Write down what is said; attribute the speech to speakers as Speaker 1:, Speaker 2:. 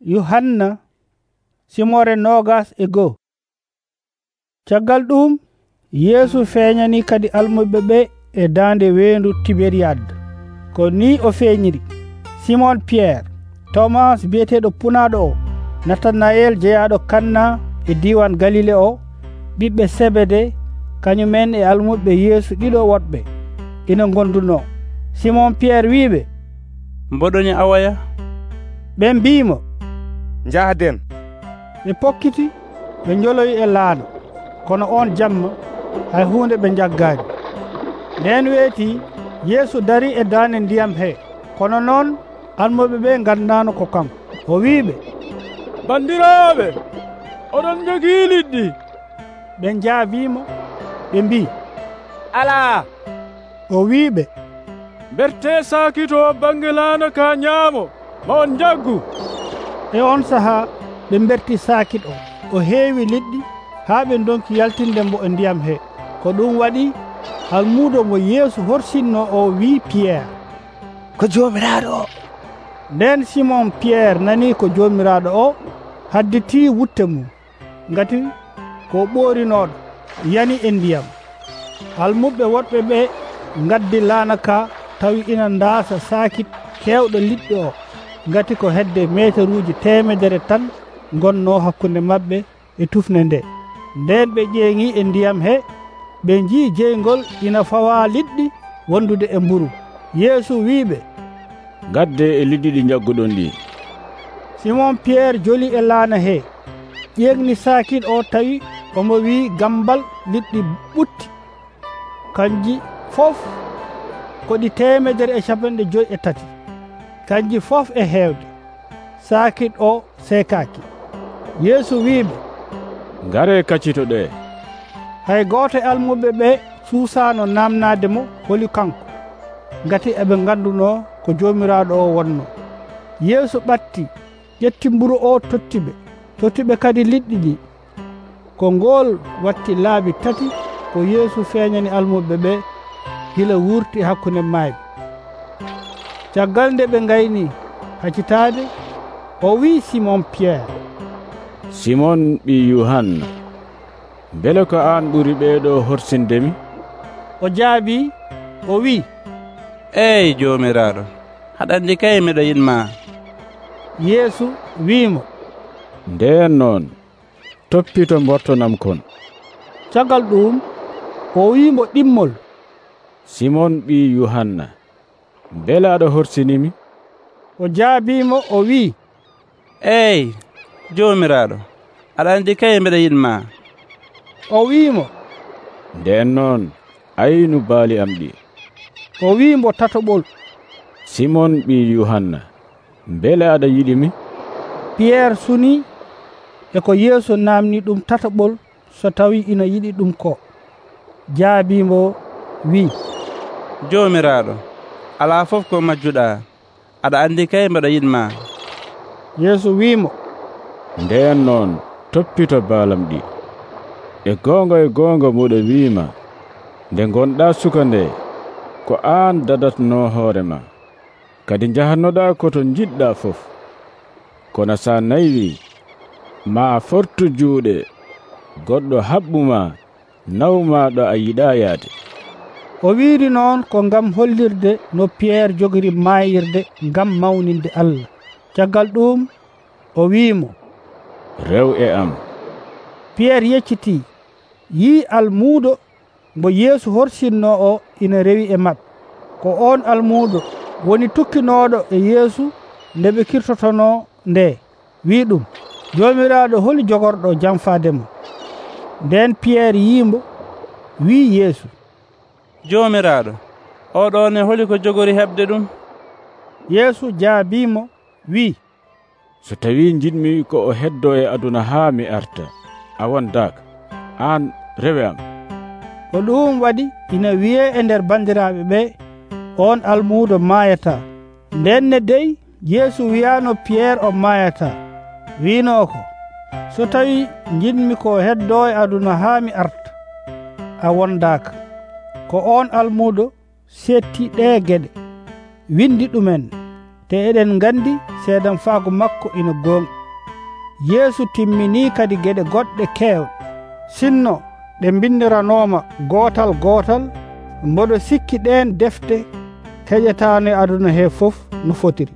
Speaker 1: Yuhanna simore 21. Caggal ɗum Yeesu feeñani kadi almuɓe ɓe e daande weendu Tiberiyad. Ko ni o feeñiri: Simon Pierre, Thomas biyeteeɗo Punaɗo o, Natanayel jeyaɗo Kanna e diwan Galile o, ɓiɓɓe Sebede, kañumen e almuɓe Yeesu ɗiɗo woɗɓe ina gonduno. Simon Pierre wiiɓe,
Speaker 2: mboɗoni awaya?
Speaker 1: ɓe mbimo,
Speaker 3: njahden.
Speaker 1: ɓe pokkiti ɓe njoloyi e laana, kono on jamma hay hunde ɓe jaggaani. Nden weeti Yeesu dari e daande ndiyam he, kono noon almuɓe ɓe nganndaano ko kanko. O wiiɓe,
Speaker 4: bandiraaɓe, oɗon jogii liɗɗi?
Speaker 1: ɓe njaabiimo ɓe mbi,
Speaker 3: alaa.
Speaker 1: O wiiɓe,
Speaker 4: bertee saakito bange laana ka ñaamo, ma on njaggu.
Speaker 1: E on sahaa ɓe mberti saakit o heewi liɗɗi haa ɓe donki yaltinde mbo e ndiyam he. Ko ɗum waɗi almuudo mo Yeesu horsinno o wii Pierre,
Speaker 3: ko joomiraaɗo o.
Speaker 1: Nden Simon Pierre nanii ko joomiraaɗo o, hadditii wutte mum, ngati ko ɓoorinooɗo yani e ndiyam. Almuɓe woɗɓe ɓe ngaddi laana ka tawi ina ndaasa saakit keewɗo liɗɗi o, ngati ko hedde meteruuji 100 tan gonno hakkunde maɓɓe e tufne nde. Nden ɓe ƴeeŋi e ndiyam he, ɓe njii jeygol ina fawa liɗɗi wondude e mburu. Yeesu wiiɓe,
Speaker 4: gadde e liɗɗi ɗi jagguɗon ɗi.
Speaker 1: Simon Pierre joli e laana he, ƴeegni saakit o tawi omo wii gambal liɗɗi ɓutti, kanji fof ko ɗi 153. Kanji fof e heewde. Saakit o seekaaki. Yeesu wiiɓe,
Speaker 4: ngare kaccito ɗe.
Speaker 1: hay gooto e almuɓe ɓe suusaano namnaade mo holi kanko, ngati eɓe ngannduno ko joomiraaɗo o wonno. Yeesu ɓatti, ƴetti mburu o tottiɓe kadi liɗɗi ɗi. Ko ngool watti laabi 3 ko Yeesu feeñani almuɓe ɓe gila wurti hakkunde maayɓe. Caggal nde ɓe ngayni haccitaade, o wii Simon Pierre,
Speaker 4: Simon ɓi Yuhanna, bele ko an ɓuri ɓeeɗo horsindemi?
Speaker 1: O jaabi, o wii,
Speaker 2: eyi joomiraaɗo, haɗa anndi kay miɗo yiɗma.
Speaker 1: Yeesu wiimo,
Speaker 4: nden noon toppito mbortonam kon.
Speaker 1: caggal ɗum o wiimo ɗimmol,
Speaker 4: Simon ɓi Yuhanna, bele aɗa horsinimi?
Speaker 1: o jaabiimo o wii,
Speaker 2: eyi joomiraaɗo, aɗa anndi kay miɗo yiɗma.
Speaker 1: o wiimo,
Speaker 4: nden noon aynu baali am ɗi.
Speaker 1: o wiimo tatoɓol,
Speaker 4: Simon ɓi Yuhanna, bele aɗa yiɗimi?
Speaker 1: Pierre suni e ko Yeesu namni ɗum tatoɓol so tawi ina yiɗi ɗum ko. Jaabiimo wii,
Speaker 2: joomiraaɗo, alaa fof ko majjuɗaa, aɗa anndi kay mbeɗa yiɗma.
Speaker 1: Yeesu wiimo,
Speaker 4: nden noon toppito baalam ɗi. E goonga muɗo wiima, nde gonɗa suka nde, ko aan dadatno hoorema, kadi jahannoɗa koto jiɗɗa fof. Kono sa naywi, ma fortu juuɗe, goɗɗo haɓɓuma nawma ɗo a yiɗa yaade.
Speaker 1: o wiiri noon ko ngam hollirde no Pierre jogiri maayirde ngam mawninde Allah. Caggal ɗum o wiimo,
Speaker 4: rew e am.
Speaker 1: Pierre yeccitii, yii almuudo mo Yeesu horsinno o ina rewi e maɓɓe. Ko on almuudo woni tukkinooɗo e Yeesu nde ɓe kirtotono nde, wii ɗum, joomiraaɗo holi jogorɗo jamfaademo. Nden Pierre yiimbo, wii Yeesu,
Speaker 2: joomiraaɗo, oɗon e holi ko jogori heɓde ɗum?
Speaker 1: Yeesu jaabiimo wii,
Speaker 4: so tawi jiɗmi ko o heddo e aduna haa mi arta, a wondaaka, aan rewe am.
Speaker 1: ko ɗum waɗi ina wiye e nder bandiraaɓe ɓe, on almuudo maayata. Nden ne dey Yeesu wiyaano Pierre o maayata, wiino ko, so tawi jiɗmi ko heddo e aduna haa mi arta, a wondaaka. Ko on almuudo setti ɗe geɗe, windi ɗumen, te eɗen gandi seedan faago makko ina gonɗi. Yeesu timmini kadi geɗe goɗɗe keewɗe. Sinno ɗe bindiranoma gootal gootal, mboɗo sikki ɗen defte heƴetaano e aduna he fof no fotiri.